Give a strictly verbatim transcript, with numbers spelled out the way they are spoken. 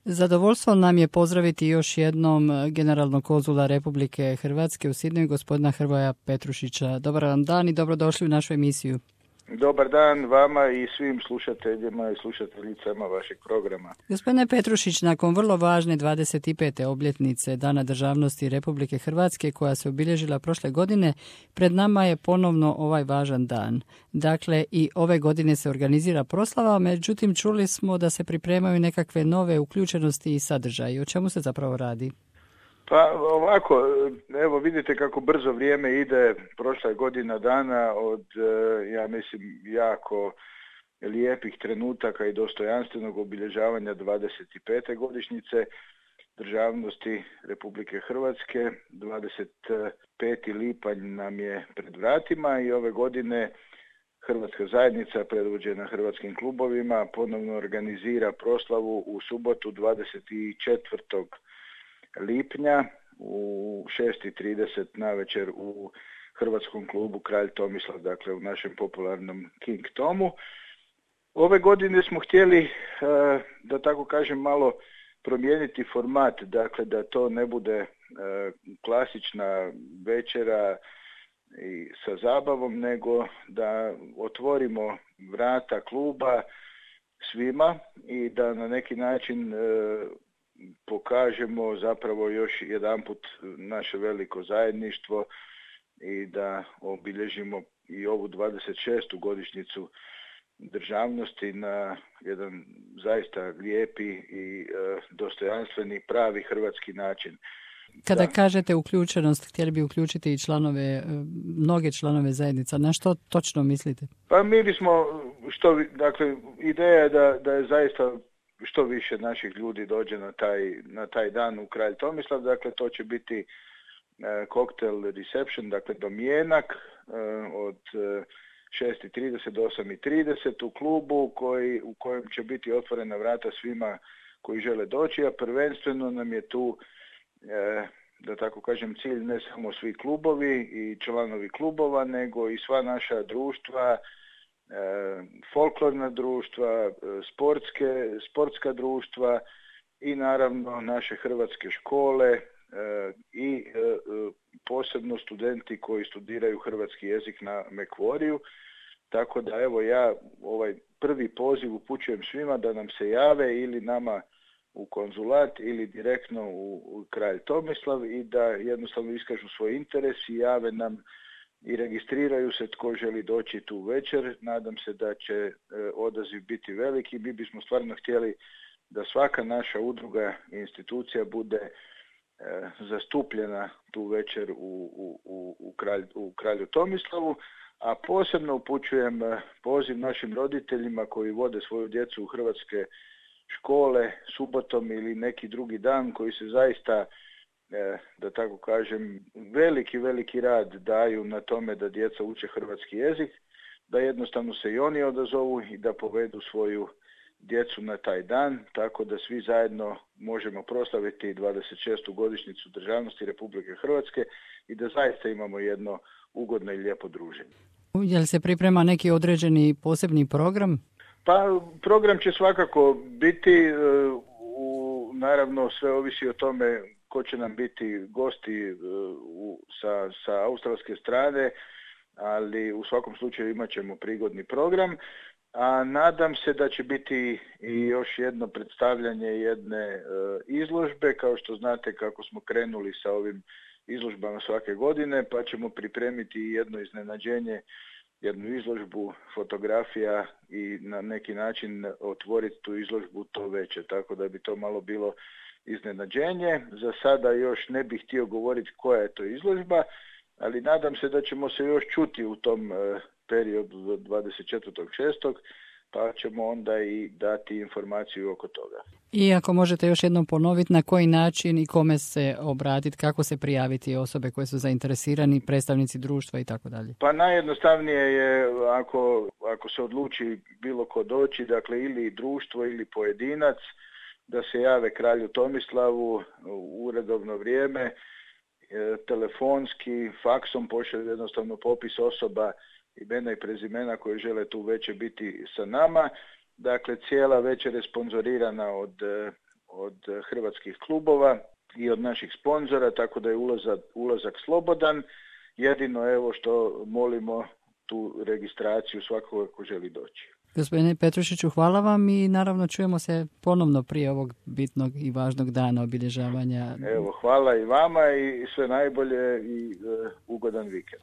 Zadovoljstvo nam je pozdraviti još jednom generalnog konzula Republike Hrvatske u Sidneju, gospodina Hrvoja Petrušića. Dobar vam dan i dobrodošli u našu emisiju. Dobar dan vama i svim slušateljima i slušateljicama vašeg programa. Gospodine Petrušić, nakon vrlo važne dvadeset pete obljetnice Dana državnosti Republike Hrvatske koja se obilježila prošle godine, pred nama je ponovno ovaj važan dan. Dakle, i ove godine se organizira proslava, međutim čuli smo da se pripremaju nekakve nove uključenosti i sadržaji. O čemu se zapravo radi? Pa ovako, evo vidite kako brzo vrijeme ide, prošla je godina dana od, ja mislim, jako lijepih trenutaka i dostojanstvenog obilježavanja dvadeset pete godišnjice državnosti Republike Hrvatske. dvadeset peti lipanj nam je pred vratima i ove godine Hrvatska zajednica predvođena hrvatskim klubovima ponovno organizira proslavu u subotu dvadeset četvrtog lipnja u šest i trideset navečer u Hrvatskom klubu Kralj Tomislav, dakle u našem popularnom King Tomu. Ove godine smo htjeli, da tako kažem, malo promijeniti format, dakle da to ne bude klasična večera i sa zabavom, nego da otvorimo vrata kluba svima i da na neki način pokažemo zapravo još jedanput naše veliko zajedništvo i da obilježimo i ovu dvadeset šestu godišnjicu državnosti na jedan zaista lijepi i e, dostojanstveni pravi hrvatski način. Kada da. kažete uključenost, htjeli bi uključiti i članove, mnoge članove zajednica. Na što točno mislite? Pa mi bismo, što, dakle, ideja je da, da je zaista što više naših ljudi dođe na taj, na taj dan u Kralj Tomislav, dakle to će biti e, cocktail reception, dakle domjenak e, od e, šest i trideset do osam i trideset u klubu koji, u kojem će biti otvorena vrata svima koji žele doći, a prvenstveno nam je tu, e, da tako kažem, cilj ne samo svi klubovi i članovi klubova, nego i sva naša društva, folklorna društva, sportske, sportska društva i naravno naše hrvatske škole i posebno studenti koji studiraju hrvatski jezik na Mekvoriju. Tako da evo ja ovaj prvi poziv upućujem svima da nam se jave ili nama u konzulat ili direktno u, u Kralj Tomislav i da jednostavno iskažu svoj interes i jave nam i registriraju se tko želi doći tu večer. Nadam se da će e, odaziv biti veliki. Mi bismo stvarno htjeli da svaka naša udruga i institucija bude e, zastupljena tu večer u, u, u, u, kralj, u Kralju Tomislavu, a posebno upućujem poziv našim roditeljima koji vode svoju djecu u hrvatske škole subotom ili neki drugi dan, koji se zaista, da tako kažem, veliki, veliki rad daju na tome da djeca uče hrvatski jezik, da jednostavno se i oni odazovu i da povedu svoju djecu na taj dan, tako da svi zajedno možemo proslaviti dvadeset šestu godišnjicu državnosti Republike Hrvatske i da zaista imamo jedno ugodno i lijepo druženje. Je li se priprema neki određeni posebni program? Pa program će svakako biti, u, naravno sve ovisi o tome ko će nam biti gosti u, sa, sa australske strane, ali u svakom slučaju imat ćemo prigodni program, a nadam se da će biti i još jedno predstavljanje jedne e, izložbe, kao što znate kako smo krenuli sa ovim izložbama svake godine, pa ćemo pripremiti jedno iznenađenje, jednu izložbu fotografija i na neki način otvoriti tu izložbu to veće, tako da bi to malo bilo iznenađenje. Za sada još ne bih htio govoriti koja je to izložba, ali nadam se da ćemo se još čuti u tom periodu do dvadeset četvrtog šestog pa ćemo onda i dati informaciju oko toga. I ako možete još jednom ponoviti na koji način i kome se obratiti, kako se prijaviti osobe koje su zainteresirani, predstavnici društva i tako dalje. Pa najjednostavnije je ako, ako se odluči bilo ko doći, dakle ili društvo ili pojedinac, da se jave Kralju Tomislavu u uredovno vrijeme, telefonski, faksom pošalju jednostavno popis osoba, imena i prezimena koji žele tu večer biti sa nama. Dakle, cijela večer je sponzorirana od, od hrvatskih klubova i od naših sponzora, tako da je ulazak, ulazak slobodan. Jedino evo što molimo tu registraciju svakoga ko želi doći. Gospodine Petrušiću, hvala vam i naravno čujemo se ponovno prije ovog bitnog i važnog dana obilježavanja. Evo, hvala i vama i sve najbolje i uh, ugodan vikend.